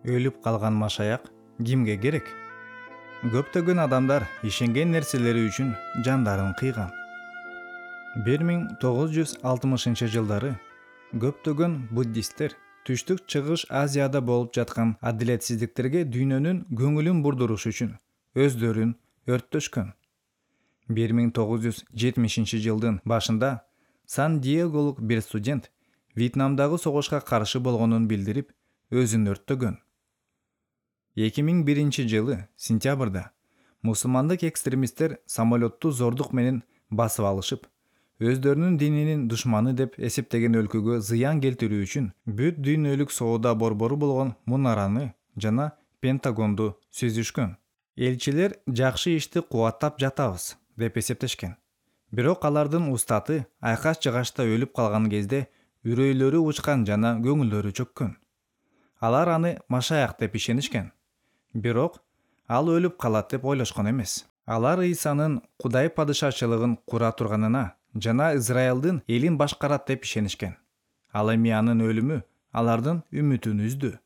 Өлүп калган машаяк кимге керек? Көптөгөн адамдар ишенген нерселери үчүн жандарын кыйган. 1960-жылдары көптөгөн буддисттер Түштүк Чыгыш Азияда болуп жаткан адилетсиздиктерге дүйнөнүн көңүлүн бурдуруш үчүн өздөрүн өрттөшкөн. 1970-жылдын башында Сан-Диеголук бир студент Вьетнамдагы согушка каршы болгонун билдирип, өзүн өрттөгөн. 2001-жылы сентябрда мусулмандык экстремисттер самолетту зордук менен басып алышып, өздөрүнүн дининин душманы деп эсептеген өлкөгө зыян келтирүү үчүн бүт дүйнөлүк соода борбору болгон Мунараны жана Пентагонду сүзүшкөн. Элчилер жакшы ишти кубаттап жатабыз деп эсептешкен. Бирок алардын устаты айкаш-жыгачта өлүп калган кезде үрөйлөрү учкан жана көңүлдөрү чөккөн. Алар аны машаяк деп ишенишкен. Бирок ал өлүп калат деп ойлошкон эмес. Алар Ыйсанын Кудай падышачылыгын кура турганына жана Израилдин элин башкарат деп ишенишкен. Ал эми анын өлүмү алардын үмүтүн үздү.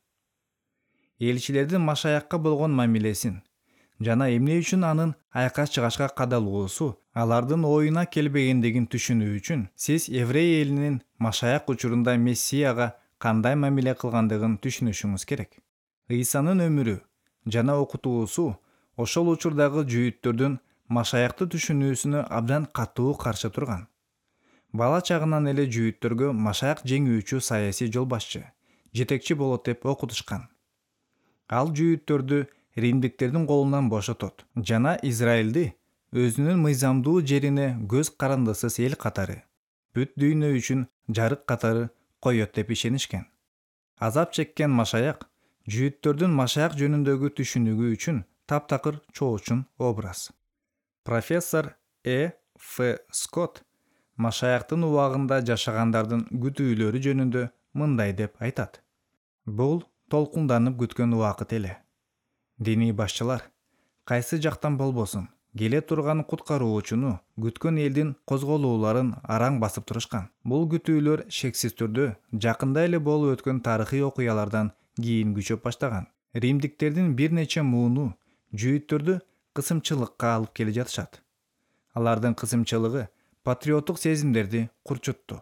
Элчилердин машаякка болгон мамилесин жана эмне үчүн анын айкаш-чыгачка кадалуусу алардын оюна келбегендигин түшүнүү үчүн сиз еврей элинин машаяк учурунда Мессияга кандай мамиле кылгандыгын түшүнүшүңүз керек. Ыйсанын өмүрү жана окутуусу ошол учурдагы жүйүттөрдүн машаякты түшүнүүсүнө абдан катуу каршы турган. Бала чагынан эле жүйүттөргө машаяк жеңүүчү саясий жол башчы, жетекчи болот деп окутушкан. Ал жүйүттөрдү римдиктердин колунан бошотот жана Израилди өзүнүн мыйзамдуу жерине көз карандысыз эл катары, бүт дүйнө үчүн жарык катары коет деп ишенишкен. Азап чеккен машаяк жүйүттөрдүн машаяк жөнүндөгү түшүнүгү үчүн таптакыр чоочун образ. Профессор Ф. Скотт машаяктын убагында жашагандардын күтүүлөрү жөнүндө мындай деп айтат. Бул толкунданып күткөн убакыт эле. Диний башчылар кайсы жактан болбосун келе турган куткаруучуну күткөн элдин козголууларын араң басып турушкан. Бул күтүүлөр шексиз түрдө жакында эле болуп өткөн тарыхый окуялардан кийин күчөп баштаган. Римдиктердин бир нече мууну жүйүттөрдү кысымчылыкка алып келе жатышат. Алардын кысымчылыгы патриоттук сезимдерди курчутту.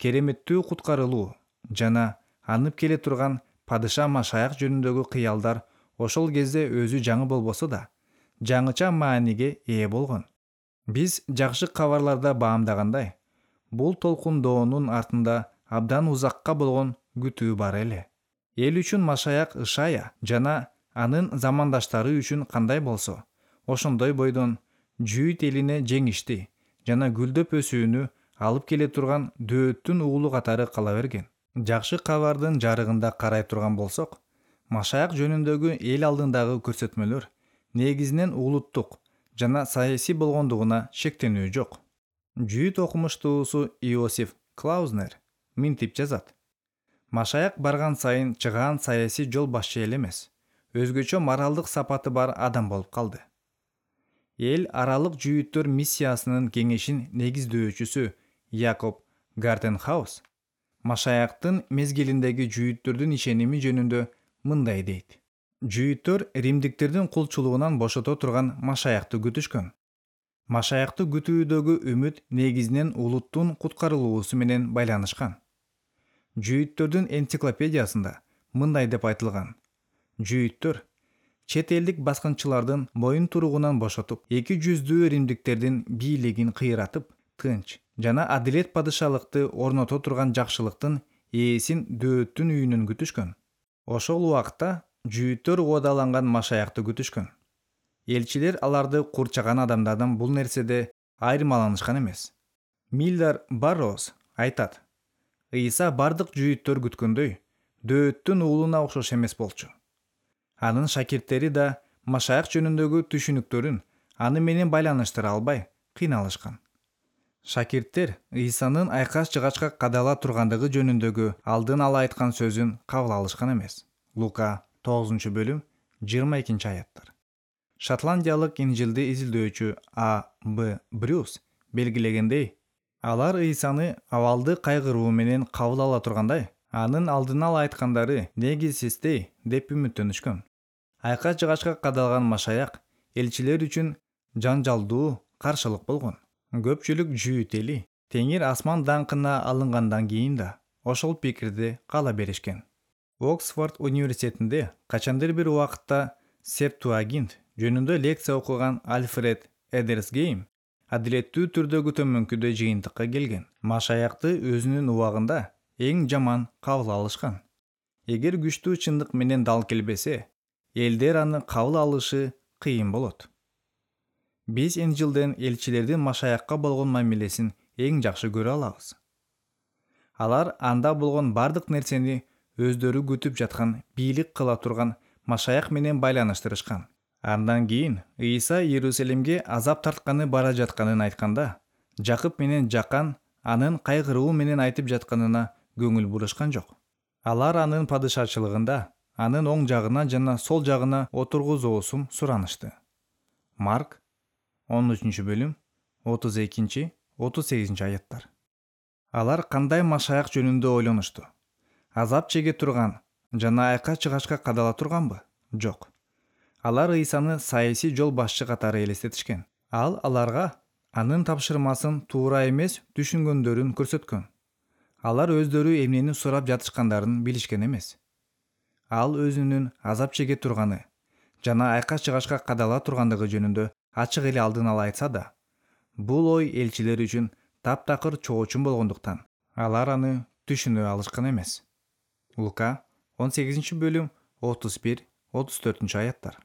Кереметтүү куткарылуу жана анып келе турган падыша машаяк жөнүндөгү кыялдар ошол кезде өзү жаңы болбосо да, жаңыча мааниге ээ болгон. Биз жакшы кабарларда баамдагандай, бул толкундоонун артында абдан узакка болгон күтүү бар эле. Эл үчүн машаяк Ишая жана анын замандаштары үчүн кандай болсо, ошондой бойдон жүйүт элине жеңишти жана гүлдөп өсүүнү алып келе турган дөөттүн уулу катары кала берген. Жакшы кабардын жарыгында карай турган болсок, машаяк жөнүндөгү эл алдындагы көрсөтмөлөр негизинен улуттук жана саясий болгондугуна шектенүү жок. Жүйүт окумуштуусу Иосиф Клаузнер мынтип жазат. Машаяк барган сайын чыгаан саясий жол башчы эле эмес, өзгөчө моралдык сапаты бар адам болуп калды. Эл аралык жүйүттөр миссиясынын кеңешин негиздөөчүсү Якоб Гартенхаус машаяктын мезгилиндеги жүйүттөрдүн ишеними жөнүндө мындай дейт. Жүйүттөр римдиктердин кулчулугунан бошото турган машаякты күтүшкөн. Машаякты күтүүдөгү үмүт негизинен улуттун куткарылуусу менен байланышкан. Жүйүттөрдүн энциклопедиясында мындай деп айтылган. Жүйүттөр чет элдик баскынчылардын моюн туругунан бошотуп, эки жүздүү римдиктердин бийлигин кыйратып, тынч жана адилет падышалыкты орното турган жакшылыктын ээсин дөөттүн үйүнөн күтүшкөн. Ошол убакта жүйүттөр угадаланган машаякты күтүшкөн. Элчилер аларды курчаган адамдардан бул нерседе айырмаланышкан эмес. Милдар Барроуз айтат. Ыйса бардык жүйүттөр күткөндөй, дөөттүн уулуна окшош эмес болчу. Анын шакирттери да машаяк жөнүндөгү түшүнүктөрүн аны менен байланыштыра албай кыйналышкан. Шакирттер Ыйсанын айкаш-жыгачка кадала тургандыгы жөнүндөгү алдын ала айткан сөзүн кабыл алышкан эмес. Лука 9-бөлүм 22-аяттар. Шотландиялык инжилди изилдөөчү А. Б. Брюс белгилегендей, алар Ыйсаны абалды кайгыруу менен кабыл ала тургандай, Анын алдын ала айткандары негизсиздей деп үмүттөнүшкөн. Айкач-жыгачка кадалган машаяк элчилер үчүн жанжалдуу каршылык болгон. Көпчүлүк Жүйүт эли Теңир асман даңкына алынгандан кийин да ошол пикирде кала беришкен. Оксфорд университетинде качандыр бир убакытта Септуагинт жөнүндө лекция окуган Альфред Эдерсгейм адилеттүү түрдөгү төмөнкүдөй жыйынтыкка келген. Машаякты өзүнүн убагында эң жаман кабыл алышкан. Эгер күчтүү чындык менен дал келбесе, элдер аны кабыл алышы кыйын болот. Биз Инжилден элчилердин машаякка болгон мамилесин эң жакшы көрө алабыз. Алар анда болгон бардык нерсени өздөрү күтүп жаткан, бийлик кыла турган машаяк менен байланыштырышкан. Андан кийин Ыйса Иерусалимге азап тартканы бара жатканын айтканда, Жакып менен Жакан анын кайгыруу менен айтып жатканына көңүл бурушкан жок. Алар анын падышачылыгында анын оң жагына жана сол жагына отургузуусун суранышты. Марк 13-бөлүм 32-38 аяттар. Алар кандай машаяк жөнүндө ойлонушту? Азап чеге турган жана айкач-жыгачка кадала турганбы? Жок. Алар Ыйсаны саясий жол башчы катары элестетишкен. Ал аларга анын тапшырмасын туура эмес түшүнгөндөрүн көрсөткөн. Алар өздөрү эмнени сурап жатышкандарын билишкен эмес. Ал өзүнүн азап чеге турганы жана айкач-жыгачка кадала тургандыгы жөнүндө ачык эле алдын ала айтса да, бул ой элчилер үчүн таптакыр чоочун болгондуктан алар аны түшүнө алышкан эмес. Лука 18-бөлүм 31-34 аяттар.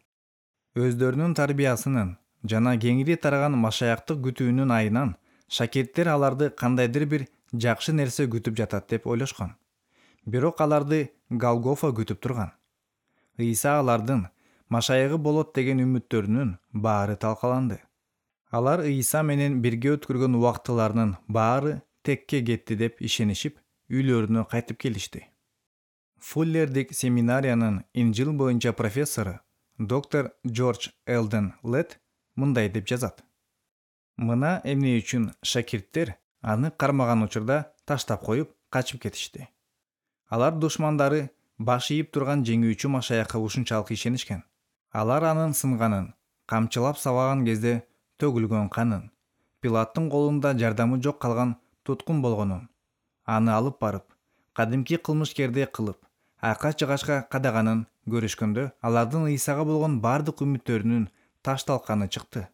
Өздөрүнүн тарбиясынын жана кеңири тараган машаяктык күтүүнүн айынан шакирттер аларды кандайдыр бир жакшы нерсе күтүп жатат деп ойлошкон. Бирок аларды Голгофа күтүп турган. Ыйса алардын машаягы болот деген үмүттөрүнүн баары талкаланды. Алар Ыйса менен бирге өткөргөн убактыларынын баары текке кетти деп ишенишип, үйлөрүнө кайтып келишти. Фуллердик семинариянын Инжил боюнча профессору доктор Джордж Элден Лет мындай деп жазат. Мына эмне үчүн шакирттер аны кармаган учурда таштап коюп качып кетишти. Алар душмандары баш ийип турган жеңүүчү машаякка ушунчалык ишенишкен. Алар анын сынганын, камчылап сабаган кезде төгүлгөн канын, Пилаттын колунда жардамы жок калган туткун болгонун, аны алып барып, кадимки кылмышкердей кылып, айкач-жыгачка кадаганын көрүшкөндө, алардын Ыйсага болгон бардык үмүттөрүнүн ташталканы чыкты.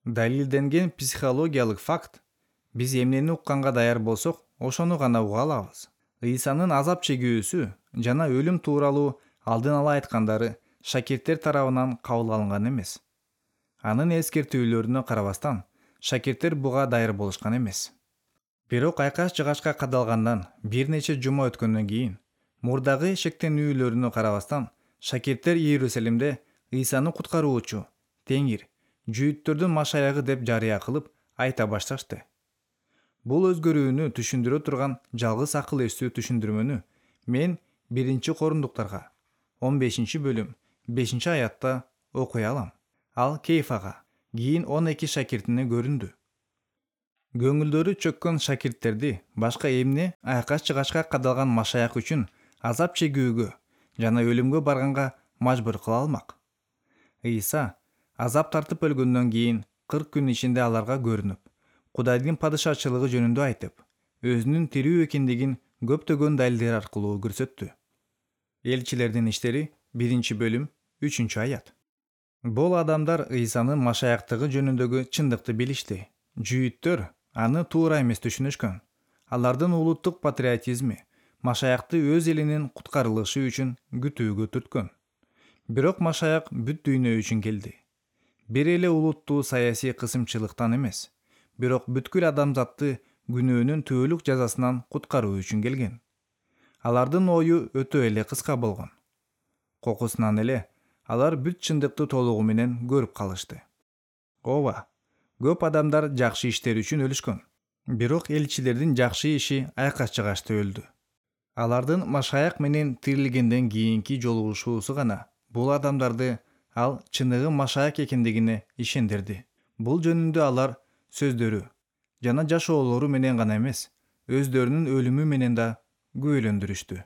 Далилденген психологиялык факт: биз эмнени укканга даяр болсок, ошону гана уга алабыз. Ыйсанын азап чегүүсү жана өлүм тууралуу алдын ала айткандары шакирттер тарабынан кабыл алынган эмес. Анын эскертүүлөрүнө карабастан, шакирттер буга даяр болушкан эмес. Бирок айкач-жыгачка кадалгандан бир нече жума өткөндөн кийин, мурдагы шектенүүлөрүнө карабастан, шакирттер Иерусалимде Ыйсаны куткаруучу, Теңир, жүйүттөрдүн машаягы деп жарыя кылып айта башташты. Бул өзгөрүүнү түшүндүрө турган жалгыз акыл эстүү түшүндүрмөнү мен 1-Корундуктарга 15-бөлүм 5-аятта окуй алам. Ал Кейфага, кийин 12 шакиртине көрүндү. Көңүлдөрү чөккөн шакирттерди башка эмне айкач-жыгачка кадалган машаяк үчүн азап чегүүгө жана өлүмгө барганга мажбур кыла алмак. Ыйса азап тартып өлгөндөн кийин 40 күн ичинде аларга көрүнүп, Кудайдын падышачылыгы жөнүндө айтып, өзүнүн тирүү экендигин көптөгөн далилдер аркылуу көрсөттү. Элчилердин иштери 1-бөлүм 3-аят. Бул адамдар Ыйсанын машаяктыгы жөнүндөгү чындыкты билишти. Жүйүттөр аны туура эмес түшүнүшкөн. Алардын улуттук патриотизми машаякты өз элинин куткарылышы үчүн күтүүгө түрткөн. Бирок машаяк бүт дүйнө үчүн келди. Бир эле улуттуу саясий кысымчылыктан эмес, бирок бүткүл адамзатты күнөөнүн түбөлүк жазасынан куткаруу үчүн келген. Алардын ою өтө эле кыска болгон. Кокусунан эле алар бүт чындыкты толугу менен көрүп калышты. Ооба, көп адамдар жакшы иштер үчүн өлүшкөн. Бирок элчилердин жакшы иши айкач-жыгачта өлдү. Алардын машаяк менен тирилгенден кийинки жолугушуусу гана бул адамдарды ал чыныгы машаяк экендигине ишендирди. Бул жөнүндө алар сөздөрү жана жашоолору менен гана эмес, өздөрүнүн өлүмү менен да күбөлөндүрүштү.